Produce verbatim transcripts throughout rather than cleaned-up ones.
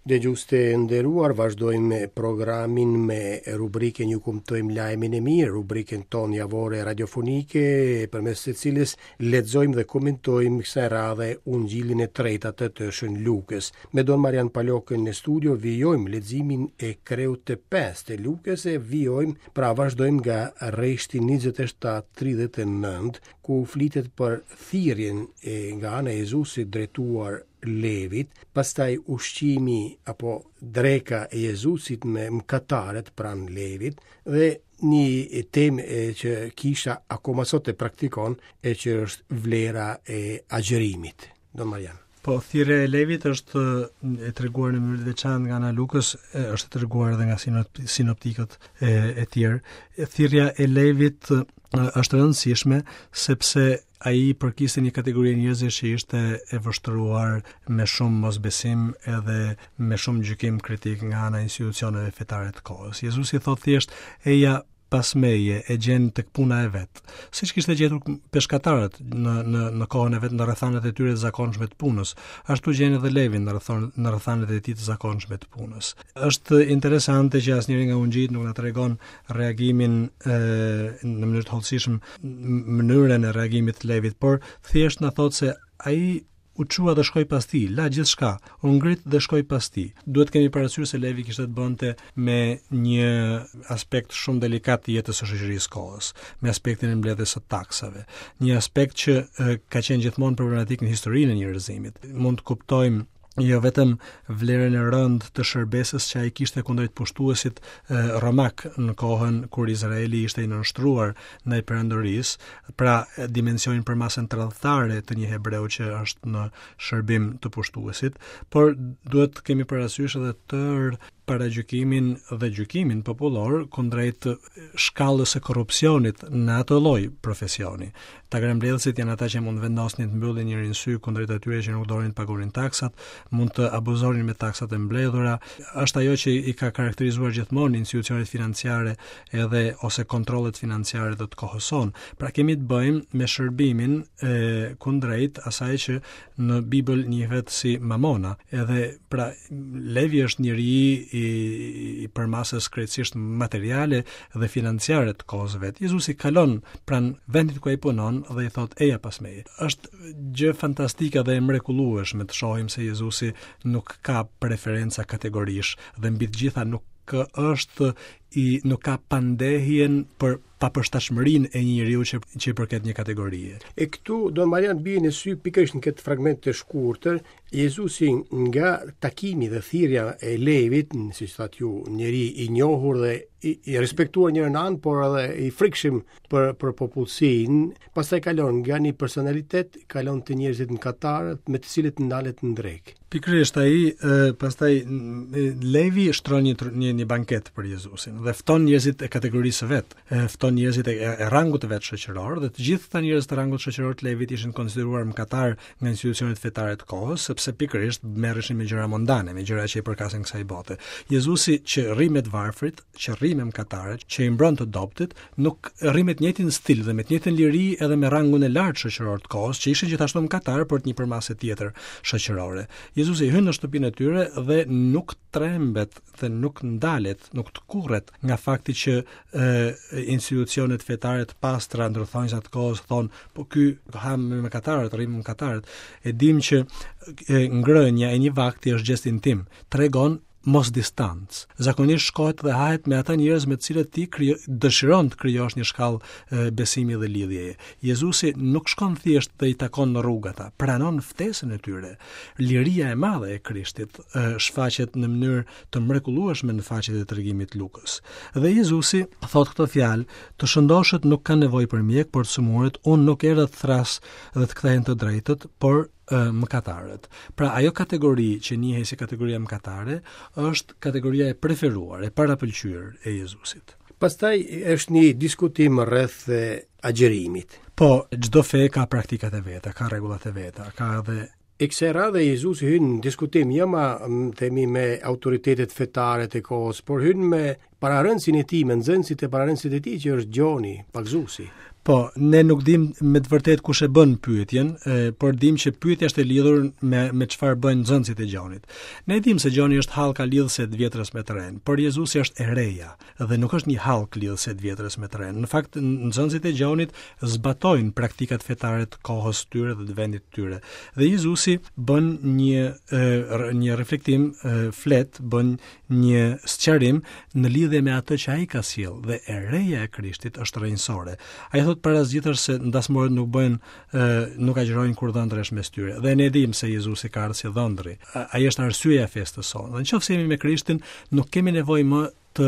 Dëgjues të nderuar, vazhdojmë me programin me rubrikën Ju kumtojmë lajmin e mirë, rubrikën tonë javore radiofonike, përmes së cilës lexojmë dhe komentojmë kësaj radhe Ungjillin e tretë atë të Shën Lukës. Me Don Marian Palokën në studio vijojmë leximin e kreut të pestë të Lukës e vijojmë, pra vazhdojmë nga rreshti njëzet e shtatë tridhjetë e nëntë, ku flitet për thirrjen e nga ana e Jezusit drejtuar Levit, pastaj ushqimi apo dreka e Jezusit me mëkatarët pranë Levit dhe një temë e që kisha akoma sot e praktikon e që është vlera e agjërimit. Don Marian. Po, thirrja e Levit është e treguar në mënyrë të veçantë nga ana e Lukës, e, është e treguar edhe nga sinop-, sinoptikët e, e tjerë. Thirrja e Levit është e rëndësishme sepse ai përkiste një kategori njerëzish që ishte e vështruar me shumë mosbesim edhe me shumë gjykim kritik nga ana e institucioneve fetare të kohës. Jezusi thotë thjesht, eja pas meje, e gjen tek puna e vet. Siç kishte gjetur peshkatarët në, në, në kohën e vet, në rrethanat e tyre të zakonshme të punës, ashtu gjen edhe Levin në rrethon, në rrethanat e tij të zakonshme të punës. Është interesante që asnjëri nga ungjijt nuk na tregon reagimin, e, në mënyrë të hollësishme, mënyrën e reagimit të Levit, por thjesht na thotë se ai u çua dhe shkoi pas tij, la gjithçka, u ngrit dhe shkoi pas tij. Duhet të kemi parasysh se Levi kishte të bënte me një aspekt shumë delikat të jetës së shoqërisë kohës, me aspektin e mbledhjes së taksave, një aspekt që, e, ka qenë gjithmonë problematik në historinë e njerëzimit. Mund të kuptojmë jo vetëm vlerën e rëndë të shërbesës që ai kishte kundrejt pushtuesit, e, romak në kohën kur Izraeli ishte i nënshtruar ndaj perandorisë, pra dimensionin për masën tradhtare të një hebreu që është në shërbim të pushtuesit, por duhet të kemi parasysh edhe tërë paragjykimin dhe gjykimin popullor kundrejt shkallës së korrupsionit në atë lloj profesioni. Tagrambledhësit janë ata që mund vendosnin të mbyllin njërin sy kundrejt atyre që nuk donin të paguanin taksat, mund të abuzonin me taksat e mbledhura. Është ajo që i ka karakterizuar gjithmonë institucionet financiare edhe ose kontrollet financiare të kohës sonë. Pra kemi të bëjmë me shërbimin e kundrejt asaj që në Bibël njihet si mamona. Edhe pra Levi është njeri i, i përmasës krejtësisht materiale dhe financiare të kohës vet. Jezusi kalon pranë vendit ku ai punon dhe i thot eja pas meje. Është gjë fantastike dhe e mrekullueshme të shohim se Jezusi nuk ka preferenca kategorish dhe mbi të gjitha nuk është i nuk ka pandehjen për papërshtatshmërinë e një njeriu që, që i përket një kategorie. E këtu Don Marian bie në sy pikërisht në këtë fragment të shkurtër, Jezusi nga takimi dhe thirrja e Levit, siç thatë ju, njeri i njohur dhe i, i respektuar njërin anë, por edhe i frikshëm për, për popullsinë, pastaj kalon nga një personalitet, kalon te njerëzit në katarët me të cilët ndalet në drekë. Pikërisht ai, e, pastaj, e, Levi shtron një, një, një banket për Jezusin dhe fton njerëzit e kategorisë së vet, e, fton njerëzit e, e, e rangut të vet shoqëror dhe të gjithë këta njerëz të rangut shoqëror të Levit ishin konsideruar mëkatar nga institucionet fetare të kohës, sepse pikërisht merreshin me gjëra mondane, me gjëra që i përkasin kësaj bote. Jezusi që rri me të varfrit, që rri me mëkatarët, që i mbron të dobtit, nuk rri me të njëjtin stil dhe me të njëjtën liri edhe me rangun e lartë shoqëror të kohës, që ishin gjithashtu mëkatar, por të një përmase tjetër shoqërore. Jezusi hyn në shtëpinë e tyre dhe nuk trembet dhe nuk ndalet, nuk tkurret nga fakti që, e, institucionet fetare të pastra ndërthonjësa të kohës thonë, po ky ha me mëkatarët, rri me mëkatarët. E dim që, e, ngrënia e një vakti është gjest intim, tregon mos distancë. Zakonisht shkohet dhe hahet me ata njerëz me të cilët ti krijo-, dëshiron të krijosh një shkallë, e, besimi dhe lidhjeje. Jezusi nuk shkon thjesht dhe i takon në rrugë ata, pranon ftesën e tyre. Liria e madhe e Krishtit, e, shfaqet në mënyrë të mrekullueshme në faqet e tregimit të Lukës. Dhe Jezusi thot këto fjalë, të shëndoshët nuk kanë nevojë për mjek, por të sëmurët, unë nuk erdha të thras dhe të kthehen të drejtët, por, e, mëkatarët. Pra ajo kategori që njihej si kategoria mëkatare është kategoria e preferuar, e parapëlqyer e Jezusit. Pastaj është një diskutim rreth, e, agjërimit. Po, çdo fe ka praktikat e veta, ka rregullat e veta, ka edhe E kësaj radhe Jezusi hyn në diskutim jo ma, m, themi, me autoritetet fetare të kohës, por hyn me pararëndësin e tij, me nxënësit e pararëndësit e tij që është Gjoni, pagëzuesi. Po, ne nuk dim me të vërtetë kush e bën pyetjen, e, por dim që pyetja është e lidhur me me çfarë bëjnë nxënësit e Gjonit. Ne dim se Gjoni është hallka lidhëse të vjetrës me të renë, por Jezusi është e reja dhe nuk është një hallkë lidhëse të vjetrës me të renë. Në fakt, nxënësit e Gjonit zbatojnë praktikat fetare të kohës së tyre dhe të vendit të tyre. Dhe Jezusi bën një e, një reflektim, e, flet, bën një sqarim në lidhje me atë që ai ka sjellë dhe e reja e Krishtit është rrënjësore. Ai thot para së gjithash se ndasmorët nuk bëjnë nuk agjërojnë kur dhëndri është mes tyre. Dhe ne dimë se Jezusi ka ardhur si dhëndri. Ai është arsyeja e festës sonë. Dhe nëse jemi me Krishtin, nuk kemi nevojë më të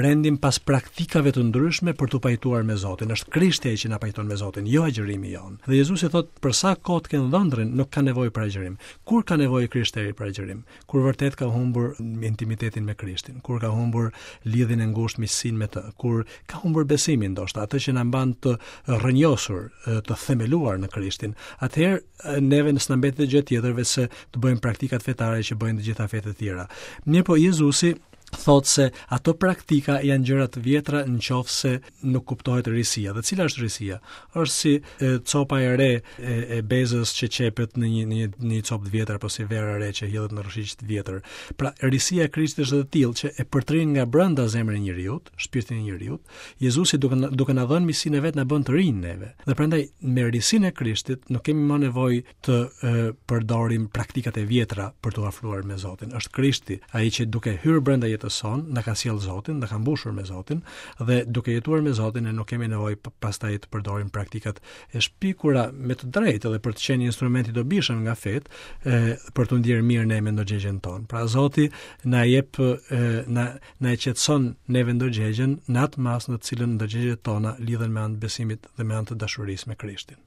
rendim pas praktikave të ndryshme për t'u pajtuar me Zotin. Është Krishti ai që na pajton me Zotin, jo agjërimi jon. Dhe Jezusi thot, për sa kohë të kenë dhëndrin, nuk ka nevojë për agjërim. Kur ka nevojë krishteri për agjërim? Kur vërtet ka humbur intimitetin me Krishtin, kur ka humbur lidhjen e ngushtë miqësinë me të, kur ka humbur besimin ndoshta, atë që na mban të rrënjosur, të themeluar në Krishtin. Atëherë neve s'na mbetet gjë tjetër veçse të bëjmë praktikat fetare që bëjnë të gjitha fetë e tjera. Mirëpo Jezusi thot se ato praktika janë gjëra të vjetra në qoftë se nuk kuptohet risia. Dhe cila është risia? Është si e, copa e re e, e bezës që qepet në një në një, në një copë të vjetër apo si vera e re që hidhet në rrëshiq të vjetër. Pra, risia e Krishtit është e tillë që e përtrin nga brenda zemrën e njeriut, shpirtin e njeriut. Jezusi duke duke na dhënë misinë e vet na bën të rinj neve. Dhe prandaj me risinë e Krishtit nuk kemi më nevojë të e, përdorim praktikat e vjetra për t'u afruar me Zotin. Është Krishti ai që duke hyrë brenda jetës son, na ka sjell Zotin, na ka mbushur me Zotin dhe duke jetuar me Zotin ne nuk kemi nevojë pastaj të përdorim praktikat e shpikura me të drejtë edhe për të qenë instrument i dobishëm nga fet, e, për të ndjerë mirë ne me ndërgjegjen tonë. Pra Zoti na jep e, na na e qetëson neve ndërgjegjen në atë masë në të cilën ndërgjegjet tona lidhen me anë të besimit dhe me anë të dashurisë me Krishtin.